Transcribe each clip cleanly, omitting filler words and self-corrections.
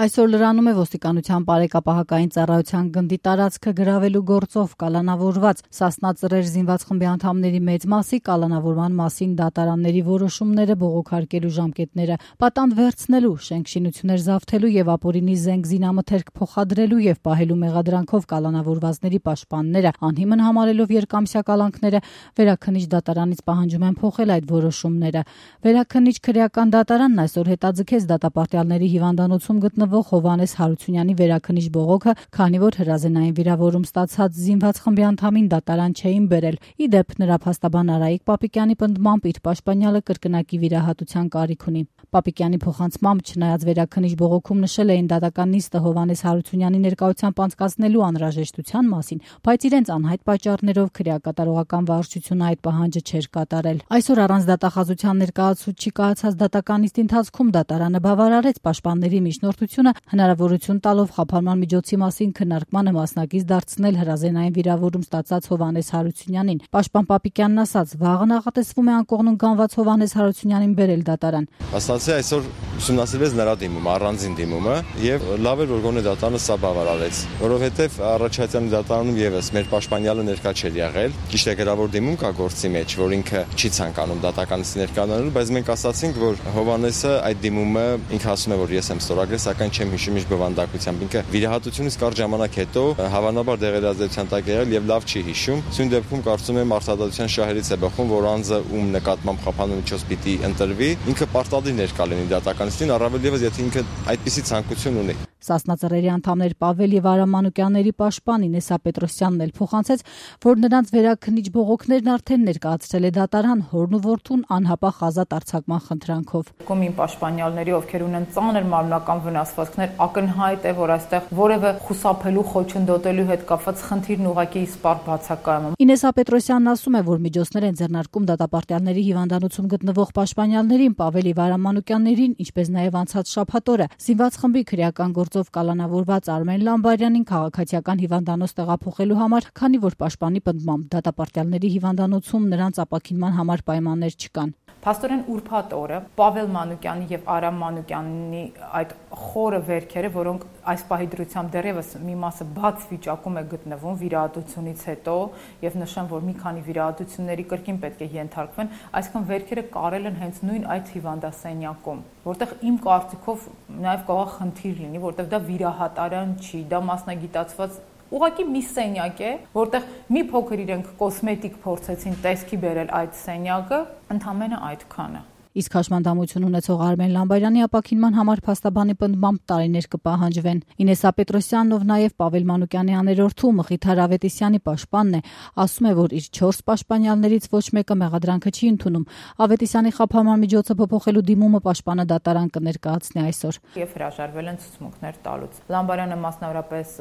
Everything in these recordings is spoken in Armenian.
Այսօր լրանում է ոստիկանության բարեկապահական ծառայության գնդի տարածքը գրավելու գործով կալանավորված Սասնա Ծռեր զինված խմբի անդամների մեծ մասի կալանավորման մասին դատարանների որոշումները բողոքարկելու ժամկետները պատանդ վերցնելու, շենք-շինություններ զավթելու եւ ապօրինի զենք զինամթերք փոխադրելու եւ պահելու մեղադրանքով կալանավորվածների պաշտպանները անհիմն համարելով երկամսյա կալանքները Վերաքննիչ դատարանից պահանջում են փոխել այդ որոշումները։ Վերաքննիչ քրեական դատարանն այսօր հետաձգեց դատապարտյալների հիվանդանոցում գտնվող Հովհաննես Հարությունյանի վերաքննիչ բողոքը, քանի որ հրազենային վիրավորում ստացած զինված խմբի անդամին դատարան չէին բերել։ Ի դեպ, նրա փաստաբան Արայիկ Պապիկյանի պնդմամբ իր պաշտպանյալը կրկնակի վիրահատության կարիք ունի։ Պապիկյանի փոխանցմամբ, չնայած վերաքննիչ բողոքում նշել էին դատական նիստը Հովհաննես Հարությունյանի ներկայությամբ անցկացնելու անհրաժեշտության մասին, բայց իրենց անհայտ պատճառներով քրեակատարողական վարչությունը այդ պահանջը չէր կատարել։ Այսօր առանց դատախազության ներկայացուցչի կայացած դատական նիստի ընթացքում դատարանը բավարարեց պաշտպանների միջնորդությունը, հնարավորություն տալով խափանման միջոցի մասին քննարկմանը մասնակից դարձնել հրազենային վիրավորում ստացած Հովհաննես Հարությունյանին։ Պաշտպան Պապիկյանն ասաց, վաղը նախատեսվում է անկողնուն կանված Հովհաննես Հարությունյանին բերել դատարան։ Ասացի այսօր ուսումնասիրվեց նրա դիմումը, առանձին դիմումը, եւ լավ էր որ գոնե դատարանը սա բավարարեց, որովհետեւ առաջացյալի դատարանում եւս մեր պաշտպանյալը ներկա չէր եղել։ Ճիշտ է, գրավոր դիմում կա գործի մեջ, որ ինքը չի ցանկանում դատականից ներկանալու, բայց մենք ասացինք, որ Հովհաննեսը այդ դիմումը ինքը ասում է, որ ես եմ ստորագրել, սակայն չեմ հիշում ինչ բովանդակությամբ։ Ինքը վիրահատությունից կարճ ժամանակ հետո հավանաբար դեղերազդեցության տակ եղել եւ լավ չի հիշում։ Սույն դեպքում կարծում եմ արտադրության շահերից է բխում, որ անձը ում նկատմամբ խափանու միջոց պիտի ընտրվի, ինքը պարտադիր ներկա լինի դատականին, առավել եւս եթե ինքը այդպիսի ցանկություն ունի։ Սասնա Ծռերի անդամներ Պավել եւ Արամ Մանուկյանների պաշտպան Ինեսա Պետրոսյանն էլ փոխանցեց, որ նրանց վերաքննիչ բողոքներն արդեն ներկայացրել է դատարան հորն ու որդուն անհապաղ ազատ արձակման խնդրանքով։ Կոմին պաշտպանյալների, ովքեր ունեն ծանր մարմնական վնասվածքներ, ակնհայտ է, որ այստեղ որևէ խուսափելու, խոչընդոտելու հետ կապված խնդիրն ուղղակի իսպառ բացակայում։ Ինեսա Պետրոսյանն ասում է, որ միջոցներ են ձեռնարկում դատապարտյալների հիվանդանոցում գտնվող պաշտպանյալներին, Պավել եւ Արամ Մանուկյաններին, ինչպես նաեւ անցած շաբաթօրը զինված խմբի քրեական գործով կալանավորված Արմեն Լամբարյանին քաղաքացիական հիվանդանոց տեղափոխելու համար, քանի որ պաշտպանի պնդմամբ դատապարտյալների հիվանդանոցում նրանց ապաքինման համար պայմաններ չկան։ Փաստորեն ուրբաթ օրը Պավել Մանուկյանի եւ Արամ Մանուկյանի այդ խորը վերքերը, որոնք այս պահի դրությամբ դեռևս մի մասը բաց վիճակում է գտնվում վիրահատությունից հետո, եւ նշեմ, որ մի քանի վիրահատությունների կրկին պետք է ենթարկվեն, այսինքն վերքերը կարել են հենց նույն այդ հիվանդասենյակում, որտեղ իմ կարծիքով նաեւ կարող խնդիր լինի, որտեղ դա վիրահատարան չի, դա մասնագիտացված ուղղակի մի սենյակ է, որտեղ մի փոքր իրենք կոսմետիկ փորձեցին տեսքի բերել այդ սենյակը, ընդամենը այդքանը։ Իսկ հաշմանդամություն ունեցող Արմեն Լամբարյանի ապաքինման համար փաստաբանի պնդմամբ տարիներ կպահանջվեն։ Ինեսա Պետրոսյանն, ով նաև Պավել Մանուկյանի աներորդու Մխիթար Ավետիսյանի պաշտպանն է, ասում է, որ իր 4 պաշտպանյալներից ոչ մեկը մեղադրանքը չի ընդունում։ Ավետիսյանի խափանման միջոցը փոփոխելու դիմումը պաշտպանը դատարան կներկայացնի այսօր։ Եվ հրաժարվել են ցուցմունքներ տալուց։ Լամբարյանը մասնավորապես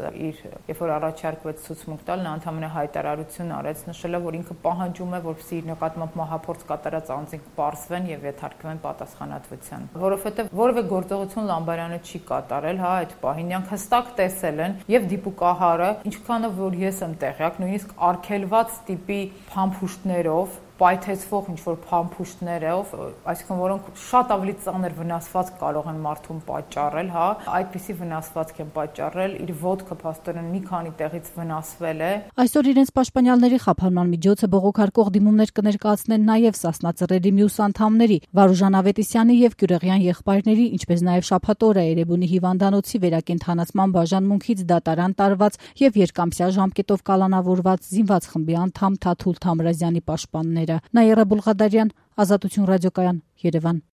երբ որ առաջարկվեց ցուցմունք տալ, նա ընդհանրապես հայտարարություն արեց, նշելով, որ ինքը պահանջում է, որպեսզի իր նկատմամբ մահափորձ կատարած անձինք պարզվեն եւ թարգվեն պատասխանատվության, որովհետև որևէ գործողություն Լամբարյանը չի կատարել, հա, այդ պահին նրանք հստակ տեսել են եւ դիպուկահարը, ինչքանով որ ես եմ տեղյակ, նույնիսկ արգելված տիպի փամփուշտներով պայթեցվող ինչ-որ փամփուշտներով, այսինքն որոնք շատ ավելի ծանր վնասվածք կարող են մարդուն պատճառել, հա, այդպիսի վնասվածք են պատճառել, իր ոտքը փաստորեն մի քանի տեղից վնասվել է։ Այսօր իրենց պաշտպանյալների խափանման միջոցը բողոքարկող դիմումներ կներկայացնեն նաև Սասնա Ծռերի մյուս անդամների, Վարուժան Ավետիսյանի եւ Գյուրեղյան եղբայրների, ինչպես նաև շաբաթօրը Էրեբունի հիվանդանոցի վերակենդանացման բաժանմունքից դատարան տարված եւ երկամսյա ժամկետով կալանավորված զինված խմբի անդամ Թաթուլ Թամրազյանի պաշտպանները։ Նաիրա Բուլղադարյան, Ազատություն ռադիոկայան, Երևան։